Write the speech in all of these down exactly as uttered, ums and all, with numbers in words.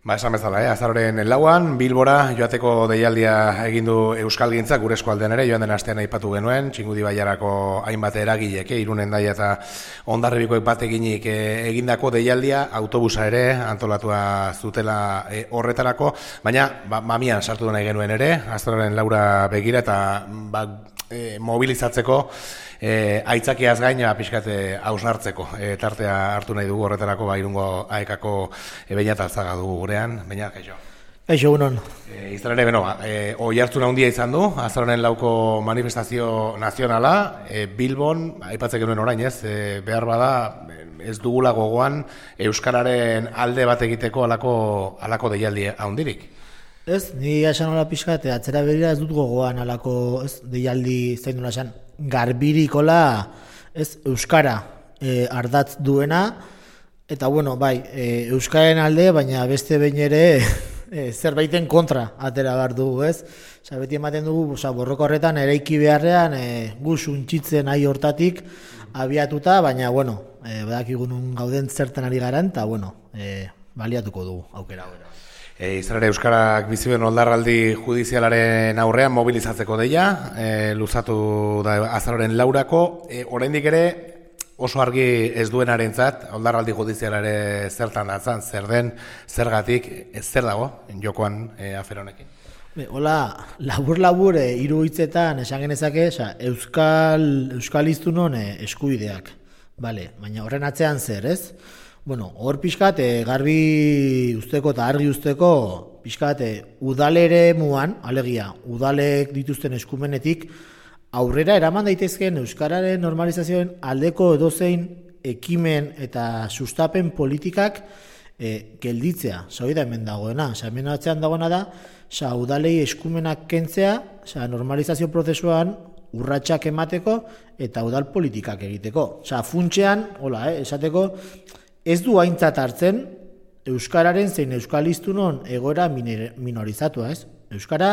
Ba, esan bezala, eh? Azaroren lauan, Bilbora joateko deialdia egin du Euskalgintzak gure eskualdean ere, joan den astean aipatu genuen, Txingudi Bailarako hainbat eragilek, eh? Irunen Daia eta Hondarribikoek bat eginik eh, egindako deialdia, autobusa ere antolatua zutela eh, horretarako, baina ba, mamian sartu nahi genuen ere, azaroren laura begira eta ba, eh, mobilizatzeko, E, aitzakiaz gaina pixkate hausnartzeko e, tartea hartu nahi dugu horretarako ba, Irungo aekako e, Beñat Alzaga dugu gurean. Beñat, kaixo. Kaixo, unon. E, izan ere, beno, e, oi hartzuna handia izan du, azaroren lauko manifestazio nazionala, e, Bilbon, aipatzen genuen orain ez, e, behar bada ez dugula gogoan Euskararen alde bat egiteko alako, alako deialdi handirik. Ez, ni esan hola pixkat, atzera berira ez dut gogoan alako ez, deialdi zain duna esan, garbirikola ez, Euskara e, ardatz duena, eta bueno, bai, e, Euskaren alde, baina beste behin ere e, zerbaiten kontra atera behar dugu, ez? Osa, beti ematen dugu, osa, borroko horretan eraiki beharrean, e, gu suntxitzen ahi hortatik abiatuta, baina, bueno, e, badakigun gauden zertan ari garan, eta, bueno, e, baliatuko dugu aukera hori. E, izan ere Euskarak bizibuen oldarraldi judizialaren aurrean mobilizatzeko deia, e, luzatu da azaroren laurako, e, oraindik ere oso argi ez duenarentzat oldarraldi judizialare zertan datzan, zer den, zergatik, ez zer dago, jokoan e, afer honekin. Hola, labur-labur e, hiru hitzetan esan genezake, oza, Euskal, Euskal iztunon e, eskubideak, vale, baina horren atzean zer, ez? Bueno, hor pixkat, e, garbi usteko eta argi usteko, pixkat, e, udalere muan, alegia, udalek dituzten eskumenetik, aurrera eraman daitezkeen Euskararen normalizazioen aldeko edozein ekimen eta sustapen politikak e, gelditzea, zau da hemen dagoena, oza, hemen atzean dagoena da, oza, udalei eskumenak kentzea, oza, normalizazio prozesuan urratsak emateko eta udal politikak egiteko. Oza, funtsean, hola, eh, esateko, ez du aintzat hartzen Euskararen zein Euskalistunon egoera minorizatua, ez? Euskara,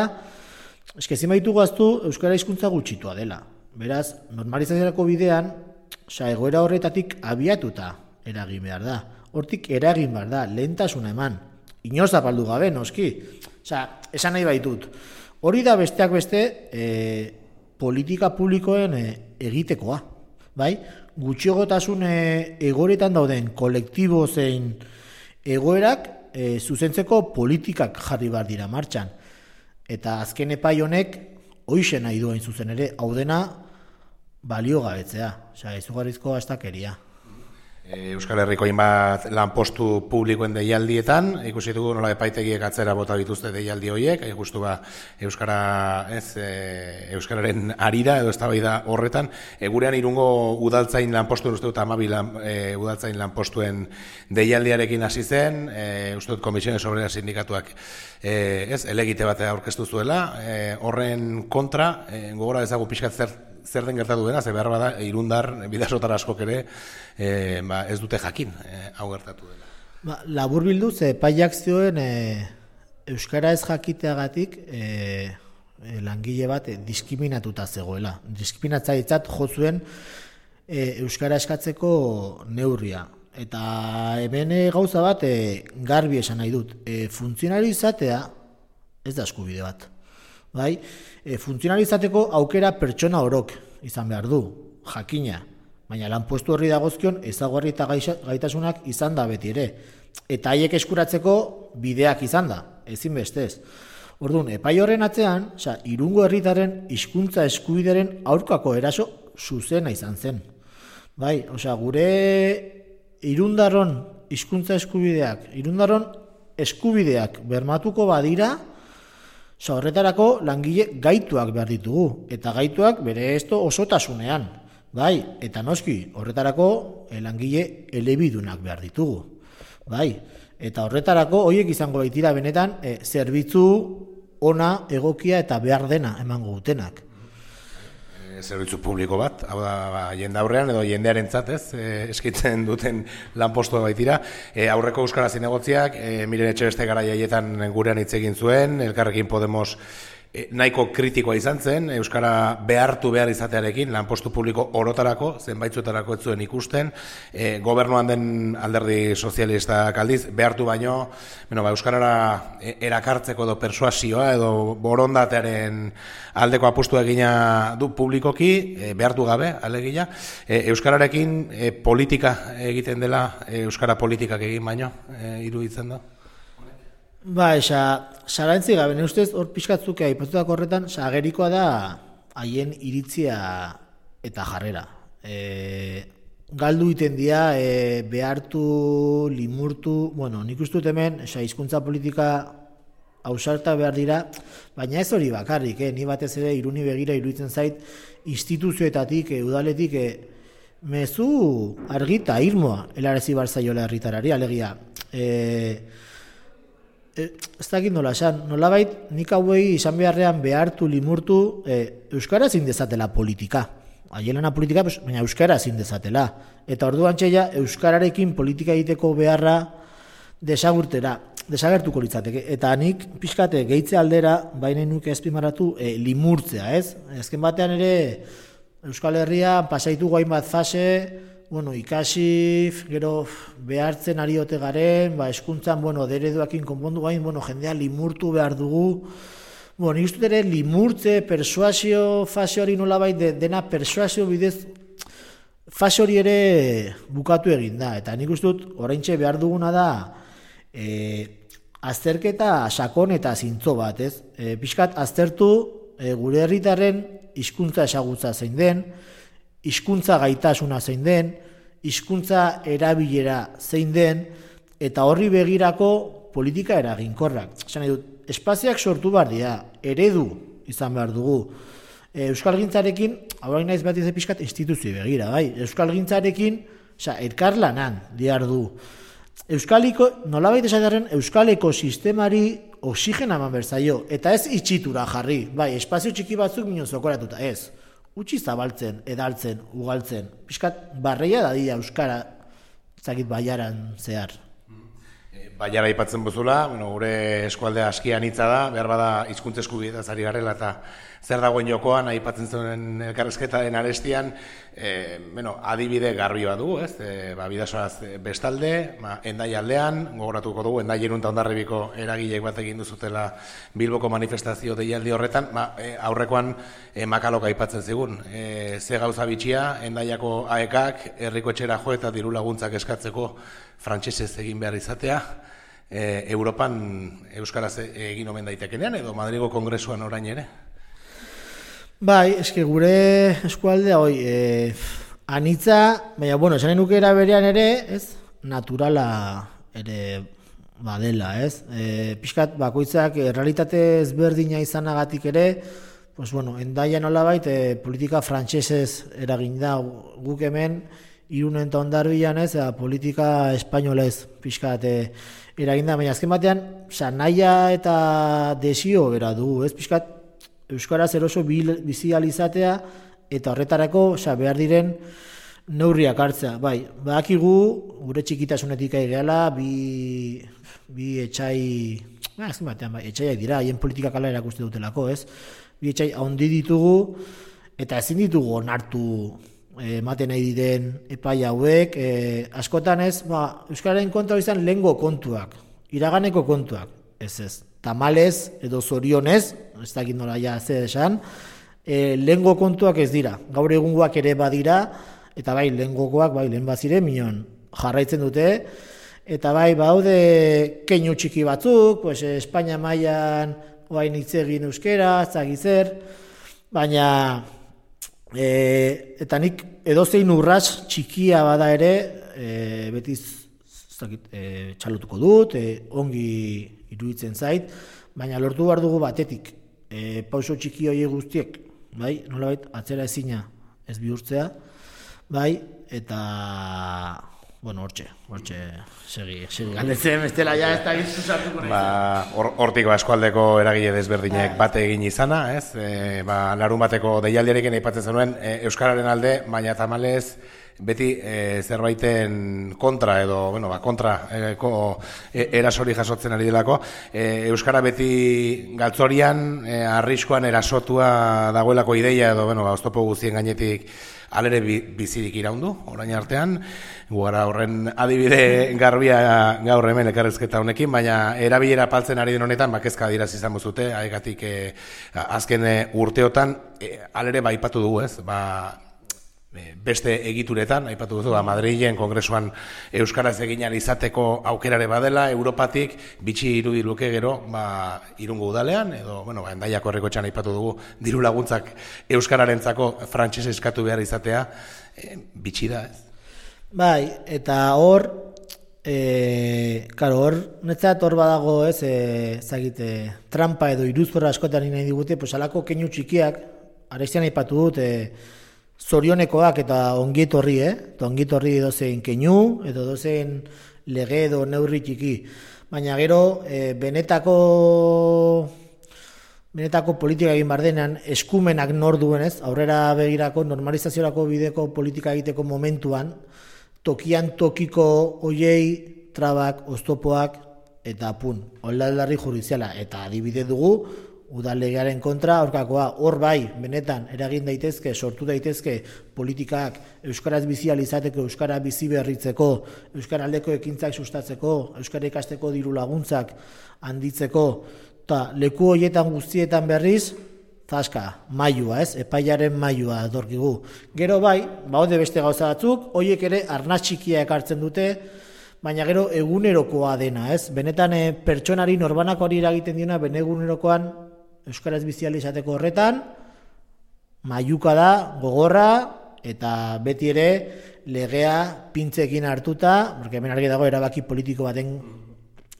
eskezin baitu gaztu, Euskara hizkuntza gutxitua dela. Beraz, normalizaziorako bidean, oza, egoera horretatik abiatuta eragin behar da. Hortik eragin behar da, lehentasuna eman. Inoz zapaldu gabe, noski. Oza, esan nahi baitut. Hori da besteak beste e, politika publikoen e, egitekoa, bai? Gutxiogotasun egoeretan dauden kolektibo zein egoerak e, zuzentzeko politikak jarri behar dira martxan. Eta azken epai honek hoixe nahi duen zuzen ere, hau dena balio gabetzea, osea, izugarrizko astakeria. Euskal Herriko hainbat lanpostu publikoen deialdietan, ikusi dugu nola epaitegiek atzera bota dituzte deialdi horiek, justu ba Euskara, ez, e, Euskararen arira edo eztabaida horretan, e, gurean Irungo udaltzain lanpostuen uste dut hamabi lan, e, udaltzain lanpostuen deialdiarekin hasi zen, e, uste dut Komisiones Obreras sindikatuak e, ez, elegite bat aurkeztu zuela, e, horren kontra, e, gogora ezagu pixkat zer zer den gertatu dena, ze behar bada, Irundar, bidasotar askok ere, e, ba, ez dute jakin, e, hau gertatu dena. Ba, labur bildu, ze epaiak zioen e, Euskara ez jakiteagatik e, e, langile bat e, diskriminatuta zegoela. Diskriminatzailetzat jo zuen e, Euskara eskatzeko neurria. Eta hemen e, gauza bat e, garbi esan nahi dut. E, funtzionario izatea ez da eskubide bat. Bai, e, funtzionalizateko aukera pertsona orok izan behar du, jakina, baina lanpostu horri dagozkion ezaugarri eta gaitasunak izan da beti ere. Eta haiek eskuratzeko bideak izan da, ezin bestez. Orduan, epai horren atzean, oza, Irungo herritarren hizkuntza eskubidearen aurkako eraso zuzena izan zen. Bai, osea, gure Irundarron hizkuntza eskubideak, Irundarron eskubideak bermatuko badira, oza, horretarako langile gaituak behar ditugu, eta gaituak bere esto osotasunean, bai, eta noski, horretarako langile elebidunak behar ditugu, bai, eta horretarako horiek izango baitira benetan e, zerbitzu ona, egokia eta behar dena emango dutenak. Zerbitzu publiko bat, hau da, ba, jende aurrean edo jendearen ez, e, eskitzen duten lanpostu baitira. E, aurreko Euskara Zinegotziak, e, Miren Etxebeste garaietan gurean hitz egin zuen, Elkarrekin Podemos e, nahiko kritikoa izan zen, euskara behartu behar izatearekin, lanpostu publiko orotarako, zenbaitzuetarako ez zuen ikusten, e, gobernuan den alderdi sozialistak aldiz, behartu baino, bueno, ba, euskarara erakartzeko edo persuasioa edo borondatearen aldeko apustua egina du publikoki, e, behartu gabe, alegia, e, euskararekin e, politika egiten dela, e, euskara politikak egin baino, e, iruditzen da? Ba, esa, sarantzi gabe, ne ustez, hor pixkatzuk aipatutako horretan, agerikoa da haien iritzia eta jarrera. E, galdu iten dira, e, behartu, limurtu, bueno, nik uste dut hemen, esa, hizkuntza politika ausarta behar dira, baina ez hori bakarrik, eh? Ni batez ere iruni begira iruditzen zait, instituzioetatik, e, udaletik, e, mezu argita, irmoa, helarezi barzaiola herritarari, alegia, e, E, ez dakit nola esan, nolabait nik hauei izan beharrean behartu, limurtu, e, euskara ezin dezatela politika. Aielana politika, pues, baina euskara ezin dezatela. Eta orduan txeia, euskararekin politika egiteko beharra desagurtera, desagertuko litzateke. Eta nik pixkate gehitze aldera, baina nuke ezpimarratu, e, limurtzea, ez? Ezken batean ere, Euskal Herria pasaitu goain bat fase, bueno, ikasi, gero behartzen ari ote garen, ba, eskuntzan, bueno, dereduakin konpondu gain, bueno, jendea limurtu behar dugu. Bueno, nik uste ere limurtze, persuasio fase hori nolabait, de, dena persuasio bidez, fase hori ere bukatu egin da. Eta nik uste dut, oraintxe behar duguna da, e, azterketa sakon eta zintzo bat, ez? E, pixkat, aztertu e, gure herritarren hizkuntza esagutza zein den, hizkuntza gaitasuna zein den, hizkuntza erabilera zein den, eta horri begirako politika eraginkorrak. Esan nahi dut, espazioak sortu behar dira, eredu izan behar dugu. E, Euskalgintzarekin, hau naiz bat izan pixkat, instituzio begira, bai? Euskalgintzarekin, oza, elkarlanan diar du. Euskaliko, nolabait esatearen, Euskaleko sistemari oxigena eman berzaio, eta ez itxitura jarri, bai, espazio txiki batzuk minun zokoratuta, ez. Utsi zabaltzen, edaltzen, ugaltzen. Piskat, barreia da dira euskara, zakit baiaran zehar. Baiara aipatzen bozula, bueno, gure eskualdea askian hitza da, behar bada hizkuntza eskubietaz ari garela eta zer dagoen jokoan aipatzen zuen elkarrizketaren arestian, e, bueno, adibide garbi bat dugu, ez? E, ba, Bidasoaz bestalde, ba, Hendai aldean, gogoratuko dugu, Hendai Irun eta Hondarribiko eragileek bat egin duzutela Bilboko manifestazio deialdi horretan, ba, e, aurrekoan e, Makalok aipatzen zigun. E, ze gauza bitxia, Hendaiako aekak herriko etxera jo eta diru laguntzak eskatzeko frantsesez egin behar izatea, e, Europan euskaraz egin omen daitekenean edo Madrigo Kongresuan orain ere? Bai, eske gure eskualdea hoi, e, anitza, baina, bueno, esanen nukera berean ere, ez, naturala ere badela, ez? E, pixkat, bakoitzak, e, realitate ezberdina izanagatik ere, pues, bueno, Hendaia nolabait, e, politika frantsesez eragin da guk hemen, Irunen eta Hondarbian, ez, e, politika espainolez pixkat e, eragin da, baina azken batean, oza, nahia eta desio bera dugu, ez, pixkat, euskaraz eroso bizializatea eta horretarako, oza, behar diren neurriak hartzea. Bai, badakigu gure txikitasunetik aigeala, bi, bi etxai, ba, azken batean, bai, etxaiak dira, haien politikak ala erakuste dutelako, ez? Bi etxai handi ditugu eta ezin ditugu onartu ematen nahi diren epai hauek, e, askotan ez, ba, euskararen kontra izan lehengo kontuak, iraganeko kontuak, ez ez. Tamalez edo zorionez, ez dakit nola ja zer esan, e, lehengo kontuak ez dira. Gaur egungoak ere badira, eta bai, lehengokoak, bai, lehen bazire, minon jarraitzen dute, eta bai, baude keinu txiki batzuk, pues, Espainia mailan oain hitz egin euskera, zagizer, baina, e, eta nik edozein urrats txikia bada ere, e, betiz, ez dakit, e, txalotuko dut, e, ongi iruditzen zait, baina lortu behar dugu batetik, e, pauso txiki horiek guztiek, bai, nolabait, atzera ezina ez bihurtzea, bai, eta, bueno, hortxe, hortxe, segi, segi, galdetzen, bestela ja ez da gizuzatuko nahi. Ba, hortik ba, eskualdeko eragile desberdinek bate egin izana, ez? E, ba, larun bateko deialdiarekin aipatzen zenuen, e, euskararen alde, baina tamalez, beti e, zerbaiten kontra edo, bueno, ba, kontra e, ko, e, erasori jasotzen ari delako, e, euskara beti galtzorian, e, arriskoan erasotua dagoelako ideia edo, bueno, ba, oztopo guztien gainetik alere bizirik iraundu, orain artean, gara horren adibide garbia gaur hemen ekarrezketa honekin, baina erabilera paltzen ari den honetan, bakezka diraz izan buzute, haiegatik e, azken e, urteotan, e, alere ba ipatu dugu ez, ba, beste egituretan, aipatu duzu, Madrilen kongresuan euskaraz egin ahal izateko aukerare badela, Europatik bitxi irudi luke gero, ba, Irungo udalean, edo, bueno, ba, Hendaiako Herrikotxean aipatu dugu, diru laguntzak euskararentzako frantses eskatu behar izatea, e, bitxi da, ez? Bai, eta hor, e, karo, hor, netzat hor badago, ez, e, zagite, trampa edo iruzporra askotan nahi digute, pues alako keinu txikiak, arestian aipatu dut, e, zorionekoak eta ongietorri, eh? Eta ongietorri dozein keinu, edo dozein lege edo neurri txiki. Baina gero, e, benetako benetako politika egin bardenean, eskumenak nor duen, ez? Aurrera begirako, normalizaziorako bideko politika egiteko momentuan, tokian tokiko hoiei trabak, oztopoak, eta pun, holdalarri judiziala. Eta adibide dugu, udalegearen kontra, aurkakoa, hor bai, benetan, eragin daitezke, sortu daitezke politikak euskaraz bizi ahal izateko, euskara bizi berritzeko, euskaraldeko ekintzak sustatzeko, euskara ikasteko diru laguntzak handitzeko, eta leku horietan guztietan berriz, zaska, mailua, ez? Epaiaren mailua dorkigu. Gero bai, baude beste gauza batzuk, horiek ere arnaz txikia ekartzen dute, baina gero egunerokoa dena, ez? Benetan e, pertsonari norbanako hori eragiten diona, bene egunerokoan euskaraz biziali izateko horretan, mailuka da, gogorra, eta beti ere legea pintzekin hartuta, porque hemen argi dago erabaki politiko baten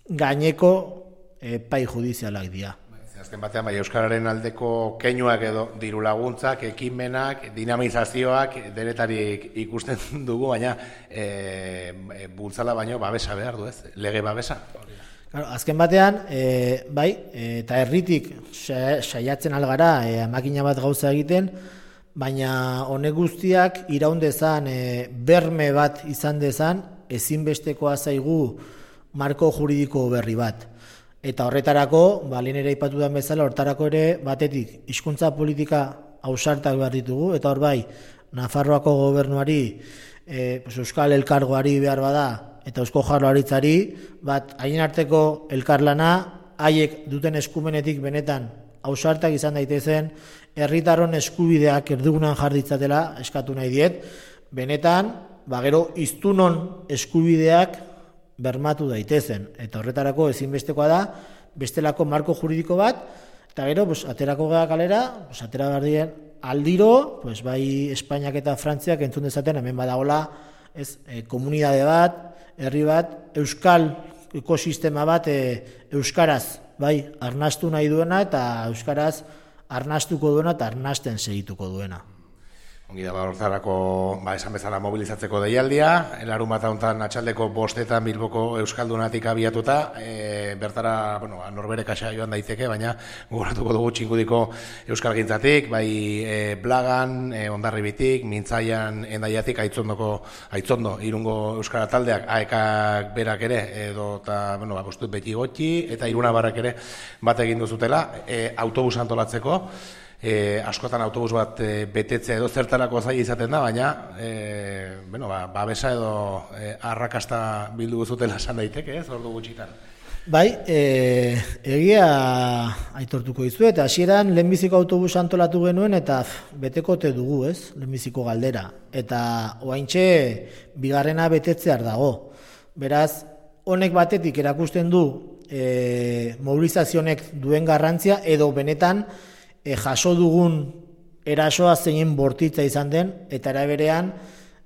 gaineko epai judizialak dira. Azken batean, bai, euskararen aldeko keinuak edo diru laguntzak, ekimenak, dinamizazioak denetarik ikusten dugu, baina e, bultzala baino babesa behar du, ez? Lege babesa. Claro, azken batean, e, bai, e, eta herritik saiatzen algara e, makina bat gauza egiten, baina honek guztiak iraun dezan, e, berme bat izan dezan, ezinbestekoa zaigu marko juridiko berri bat. Eta horretarako, ba, lehen ere aipatu den bezala, horretarako ere batetik hizkuntza politika ausartak behar ditugu, eta hor bai, Nafarroako gobernuari, e, pues, Euskal Elkargoari behar bada, eta Eusko Jaurlaritzari, bat haien arteko elkarlana, haiek duten eskumenetik benetan ausartak izan daitezen, herritarron eskubideak erdigunan jarditzatela eskatu nahi diet, benetan, ba gero hiztunon eskubideak bermatu daitezen, eta horretarako ezinbestekoa da, bestelako marko juridiko bat, eta gero, pues, aterako gara kalera, pues, atera behar dien aldiro, pues, bai Espainiak eta Frantziak entzun dezaten, hemen badagola, ez, e, komunidade bat, herri bat, euskal ekosistema bat e, euskaraz, bai, arnastu nahi duena eta euskaraz arnastuko duena eta arnasten segituko duena. Ongi da, horretarako, ba, esan bezala mobilizatzeko deialdia, larun bat honetan atxaldeko bostetan Bilboko Euskaldunatik abiatuta, e, bertara, bueno, norbere kaxa joan daiteke, baina gogoratuko dugu Txingudiko Euskalgintzatik, bai e, Blagan, e, Hondarribitik, Mintzaian, Hendaiatik, Aitzondoko, Aitzondo, Irungo Euskara taldeak, aekak berak ere, edo, eta, bueno, ba, bostut beti gotxi, eta Irunabarrak ere bat egin duzutela, e, autobus antolatzeko, E, askotan autobus bat e, betetzea edo zertarako zaila izaten da, baina e, bueno, ba, babesa edo e, arrakasta bildu guzutela esan daiteke, ez, ordu gutxitan. Bai, e, egia aitortuko dizu, eta hasieran lehenbiziko autobus antolatu genuen, eta betekote dugu, ez, lehenbiziko galdera. Eta oaintxe bigarrena betetzear dago. Beraz, honek batetik erakusten du e, mobilizazionek duen garrantzia, edo benetan, E, jaso dugun erasoa zeinen bortitza izan den, eta eraberean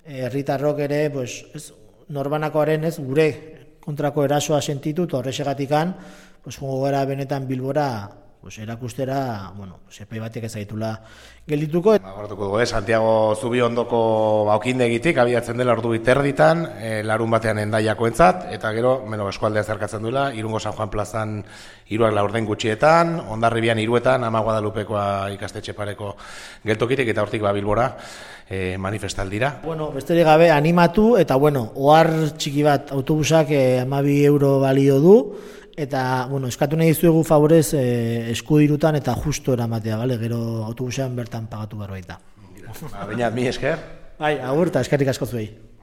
herritarrok ere, pues, ez, norbanakoaren ez, gure kontrako erasoa sentitu, eta horrexegatikan, pues, jongo gara benetan Bilbora pues, erakustera, bueno, pues, epai batek ez zaitula geldituko. Agortuko dugu, eh? Santiago Zubiondoko baukindegitik abiatzen dela ordu biterditan, e, larun batean endaiakoentzat, eta gero, meno eskualdea zerkatzen duela, Irungo San Juan plazan hiruak laurden gutxietan, Hondarribian hiruetan, Ama Guadalupekoa ikastetxe pareko geltokirik, eta hortik ba Bilbora e, manifestaldira. Bueno, besterik gabe animatu, eta bueno, ohar txiki bat autobusak e, hamabi euro balio du, eta, bueno, eskatu nahi dizuegu favorez eh, eskudirutan eta justo eramatea, bale? Gero autobusean bertan pagatu behar baita. Ba, baina, mi esker. Bai, agur eta eskerrik asko zuei.